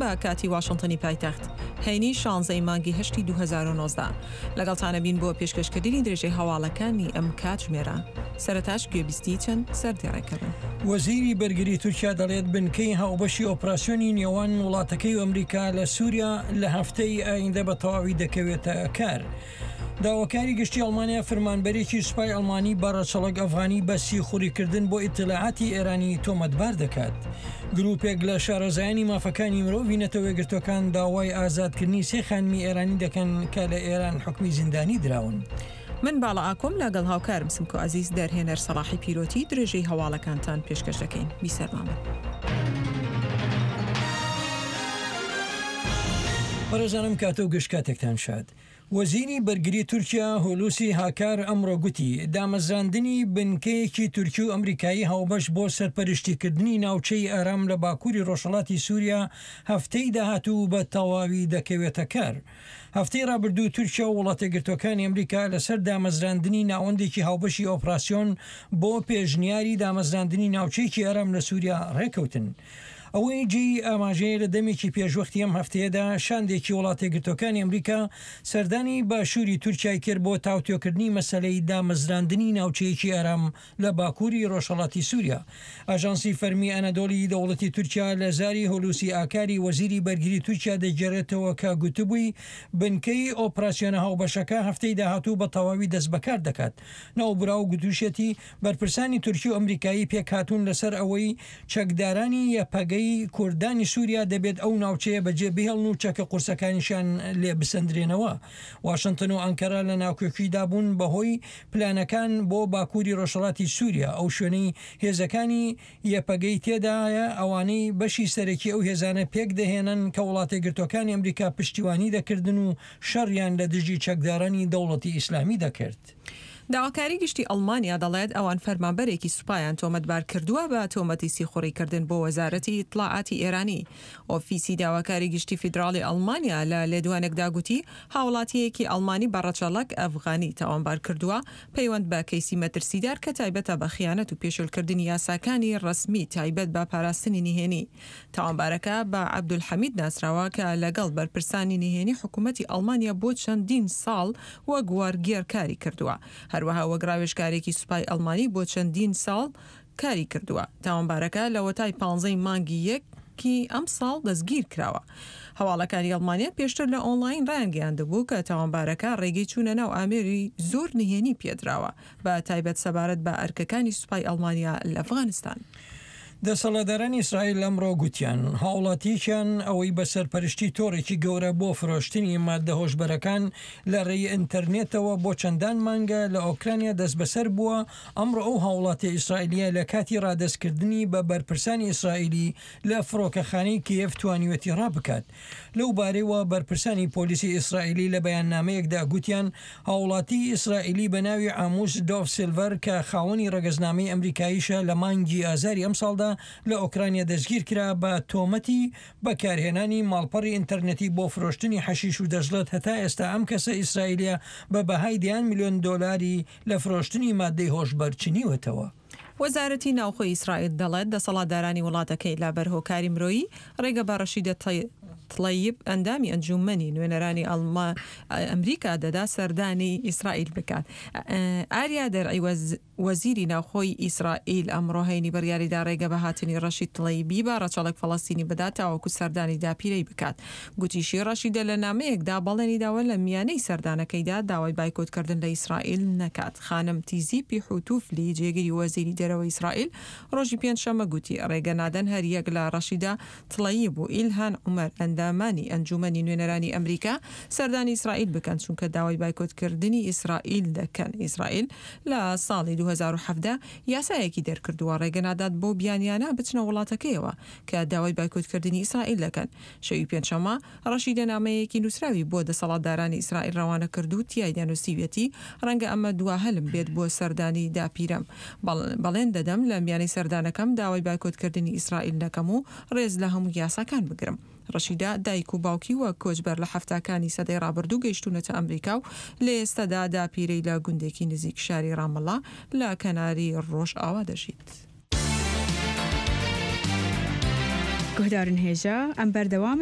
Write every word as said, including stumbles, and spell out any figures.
بە کاتی واشنتنی پایتەخت، هەینی شانزەی مانگی هەشتی دوو هەزار و نۆزدە. لەگەڵتانە بین بۆ پێشکەشکردنی درێژەی هەواڵەکانی ئەم کاتژمێرە. سەرەتاش گوێبیستی چەند سەردێڕێکە بن. وەزیری بەرگری تورکیا دەڵێت بنکەی هاوبەشی ئۆپراسیۆنی نێوان وڵاتەکەی و ئەمریکا لە سووریا لە هەفتەی ئایندە بە تەواوی دەکەوێتە کار. داواکاری گشتی ئەڵمانیا فرمانبەرێکی سوپای ئەڵمانی بە ڕەچەڵەک ئەفغانی بە سیخوڕیکردن بۆ ئیتلاعاتی ئێرانی تۆمەتبار دەکات. گروپێک لە شارەزایانی مافەکانی مرۆڤی نەتەوەیەکگرتووەکان داوای ئازادکردنی سێ خانمی ئێرانی دەکەن کە لە ئێران حوکمی زیندانی دراون. من باڵا ئاکۆم لەگەڵ هاوکارم سمکۆ عەزیز دەرهێنەر سەڵاحی پیرۆتی درێژەی هەواڵەکانتان پێشکەش دەکەین. بیسەرمان بن. بەڕێزانم کاتە و گشت کاتێکتان شاد. وەزیری بەرگری تورکیا هولوسی هاکار ئەمڕۆ گوتی دامەزراندنی بنکەیەکی تورکی و ئەمریکایی هاوبەش بۆ سەرپەرشتیکردنی ناوچەی ئارام لە باکووری ڕۆژهەڵاتی سووریا هەفتەی داهاتوو بە تەواوی دەکەوێتە کار. هەفتەی ڕابردوو تورکیا و وڵاتەیەکگرتووەکانی ئەمریکا لەسەر دامەزراندنی ناوەندێکی هاوبەشی ئۆپراسیۆن بۆ پێشنیاری دامەزراندنی ناوچەیەکی ئارام لە سووریا ڕێکەوتن. ئەوەی جێی ئاماژەیە لە دەمێکی پێشوەختی ئەم هەفتەیەدا شاندێکی وڵاتەیەکگرتووەکانی ئەمریکا سەردانی باشووری تورکیای کرد بۆ تاوتوێکردنی مەسەلەی دامەزراندنی ناوچەیەکی ئارام لە باکووری ڕۆژهەڵاتی سووریا. ئاژانسی فەرمی ئەنەدۆلی دەوڵەتی تورکیا لە زاری هولوسی ئاکاری وەزیری بەرگری تورکیا دەگێڕێتەوە کە گوتبووی بنکەی ئۆپراسیۆنە هاوبەشەکە هەفتەی داهاتوو بە تەواوی دەست بەکار دەکات. ناوبراو گوتوشێتی بەرپرسانی تورکی و ئەمریکایی پێکهاتوون لەسەر ئەوەی چەکدارانی یەپەگەی کوردانی سووریا دەبێت ئەو ناوچەیە بەجێ بهێڵن و چەکە قورسەکانیشیان لێ بسەندرێنەوە. واشنتن و ئەنکەرە لە ناکۆکیدا بوون بەهۆی پلانەکان بۆ باکووری ڕۆژهەڵاتی سووریا، ئەو شوێنەی هێزەکانی یەپەگەی تێدایە ئەوانەی بەشی سەرەکی ئەو هێزانە پێک دەهێنن کە وڵاتەیەکگرتووەکانی ئەمریکا پشتیوانی دەکردن و شەڕیان لە دژی چەکدارانی دەوڵەتی ئیسلامی دەکرد. داواکاری گشتی ئەڵمانیا دەڵێت ئەوان فەرمانبەرێکی سوپایان تۆمەتبار کردووە بە تۆمەتی سیخوڕیکردن بۆ وەزارەتی ئیتلاعاتی ئێرانی. ئۆفیسی داواکاری گشتی فیدراڵی ئەڵمانیا لە لێدوانێکدا گوتی هاوڵاتیەکی ئەڵمانی بە ڕەچەڵەک ئەفغانی تاوانبار کردووە پەیوەند بە کەیسی مەترسیدار کە تایبەتە بە خیانەت و پێشێلکردنی یاساکانی ڕەسمی تایبەت بە پاراستنی نهێنی. تاوانبارەکە بە عەبدولحەمید ناسراوە کە لەگەڵ بەرپرسانی نهێنی حکوومەتی ئەڵمانیا بۆ چەندین ساڵ وەک وەرگێڕ کاری کردووە. هەروەها وەک ڕاوێژکارێکی سوپای ئەڵمانی بۆ چەندین ساڵ کاری کردووە. تاوانبارەکە لەوەتای پانزەی مانگی یەکی ئەم ساڵ دەستگیر کراوە. هەواڵەکانی ئەڵمانیا پێشتر لە ئۆنلاین ڕایانگەیاندبوو کە تاوانبارەکە ڕێگەی چوونە ناو ئامێری زۆر نهێنی پێدراوە، بە تایبەت سەبارەت بە ئەرکەکانی سوپای ئەڵمانیا لە ئەفغانستان. دەسەڵاتدارانی ئیسرائیل ئەمڕۆ گوتیان هاوڵاتیەکیان ئەوەی بە سەرپەرشتی تۆڕێکی گەورە بۆ فرۆشتنی مادە هۆشبەرەکان لە ڕێی ئینتەرنێتەوە بۆ چەندان مانگە لە ئۆکرانیا دەستبەسەر بووە، ئەمڕۆ ئەو هاوڵاتیە ئیسرائیلیە لە کاتی ڕادەستکردنی بە بەرپرسانی ئیسرائیلی لە فڕۆکەخانەی کیێڤ توانیوەتی ڕابکات. لەو بارەیەوە بەرپرسانی پۆلیسی ئیسرائیلی لە بەیاننامەیەکدا گوتیان هاوڵاتی ئیسرائیلی بە ناوی ئاموس دۆف سیلڤەر کە خاوەنی ڕەگەزنامەی ئەمریکاییشە لە مانگی ئازاری ئەمساڵدا لە ئۆکرانیا دەستگیر کرا بە تۆمەتی بەکارهێنانی ماڵپەڕی ئینتەرنێتی بۆ فرۆشتنی حەشیش و دەشڵێت هەتا ئێستا ئەم کەسە ئیسرائیلیە بە بەهای دەیان ملیۆن دۆلاری لە فرۆشتنی مادەی هۆشبەر چنیوەتەوە. وەزارەتی ناوخۆی ئیسرائیل دەڵێت دەسەڵاتدارانی وڵاتەکەی لە بەرهۆکاری مرۆیی ڕێگە بە ڕەشیدە تڵەیب ئەندامی ئەنجومەنی نوێنەرانی ئەمریکا دەدا سەردانی ئیسرائیل بکات. ئاریا دەرعی وەزیری ناوخۆی ئیسرائیل ئەمڕۆ هەینی بڕیاریدا ڕێگە بە هاتنی ڕەشید تڵەیبی بە ڕەچەڵەک فەڵەستینی بدات تاوەکو سەردانی داپیرەی بکات. گوتیشی ڕەشیدە لە نامەیەکدا بەڵێنی داوە لە میانەی سەردانەکەیدا داوای بایکۆتکردن لە ئیسرائیل نەکات. خانم تیزیپی حوتوفلی جێگری وەزیری دەرەوەی ئیسرائیل ڕۆژی پێنجشەممە گوتی ڕێگە نادەن هەر یەک لە ڕەشیدە تڵەیب و ئیلهان عومەر ئەندامانی ئەنجومەنی نوێنەرانی ئەمریکا سەردانی ئیسرائیل بکەن چونکە داوای بایکۆتکردنی ئیسرائیل دەکەن. ئیسرائیل لە ساڵی دوو هەزار و حەڤدە یاسایەکی دەرکردووە ڕێگە نادات بۆ بیانیانە بچنە وڵاتەکەیەوە کە داوای بایکۆتکردنی ئیسرائیل دەکەن. شەوی پێنجشەممە ڕەشیدە نامەیەکی نووسراوی بۆ دەسەڵاتدارانی ئیسرائیل ڕەوانە کرد و تیایدا نووسیویەتی ڕەنگە ئەمە دوا هەلم بێت بۆ سەردانی داپیرەم. بەڵێن دەدەم لە میانەی سەردانەکەم داوای بایکۆتکردنی ئیسرائیل نەکەم و ڕێز لە هەموو یاساکان بگرم. ڕەشیدە دایک و باوکی وەک کۆچبەر لە حەفتاکانی سەدەی ڕابردوو گەیشتوونەتە ئەمریکا و لە ئێستادا داپیرەی لە گوندێکی نزیک شاری ڕامەڵا لە کەناری ڕۆژئاوا دەژیت. گوهدارن هێژا ئەم بەردەوامن.